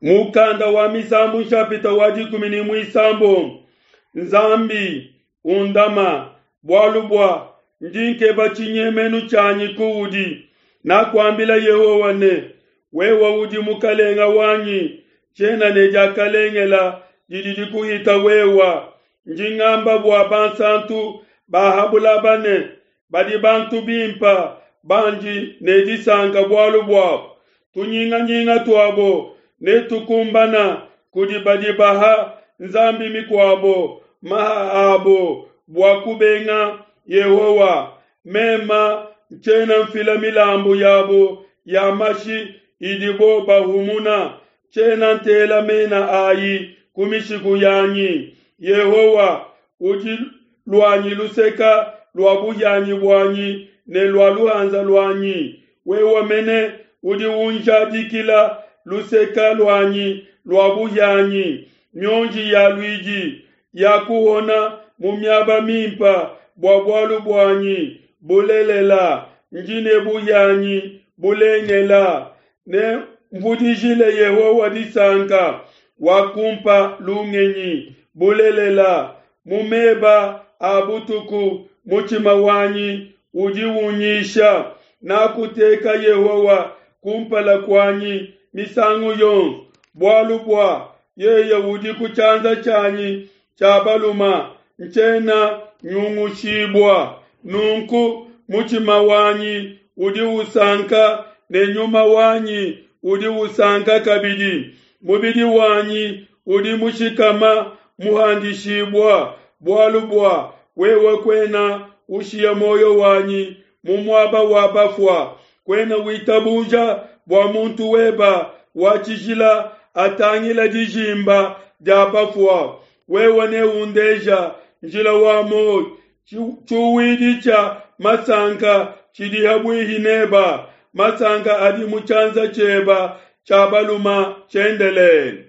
Mukanda wa Misambu nshapita wa 16. Nzambi undama, bualu bua ndi nkeba tshinyemenu tshianyi kuudi. Nakuambila Yehowa ne, wewe udi mukalenga wanyi, tshiena ne diakalengela didi dikuhita wewa. Ndi ngamba bua bansantu ba ha bulaba ne, badi bantu bimpa bandi ne disanka bualu buabo. Tunyinganyinga tuabo netukumbana kudi badi baha nzambi mikuabo maha abo bua kubenga Yehowa. Mema ntshiena mfila milambu yabo ya mashi idibo bahumuna, tshiena ntela mena ayi ku mishiku yanyi. Yehowa udi luanyi luseka lua buhianyi buanyi ne lua luhanza luanyi. Wewe mene udi unjadikila luseka luanyi lua buhianyi. Mionji ya luidi ya kuhona mu miaba mimpa bua bualu buanyi. Bulelela, ndi ne buhianyi bulengela. Ne mvudijile Yehowa disanka, wakumpa lungenyi. Bulelela, mu meba a butuku mutshima wanyi udi unyisha. Nakuteka Yehowa kumpala kuanyi misangu yonso, bualu bua yeye udi ku tshianza tshianyi tshia baluma, ntshiena nyungushibua. Nunku mutshima wanyi udi usanka ne nyuma wanyi udi usanka kabidi. Mubidi wanyi udi mushikama muhandishibua, bualu bua wewe kuena ushiya muoyo wanyi mu muaba wa bafua, kuena witabuja bua muntu weba wa tshijila atangila dijimba dia bafua. Wewe neundeja njila wa muoyo, tshiuwidi tshia masanka tshidi habuihi neba, masanka adi mu tshianza tshieba tshia baluma tshiendelele.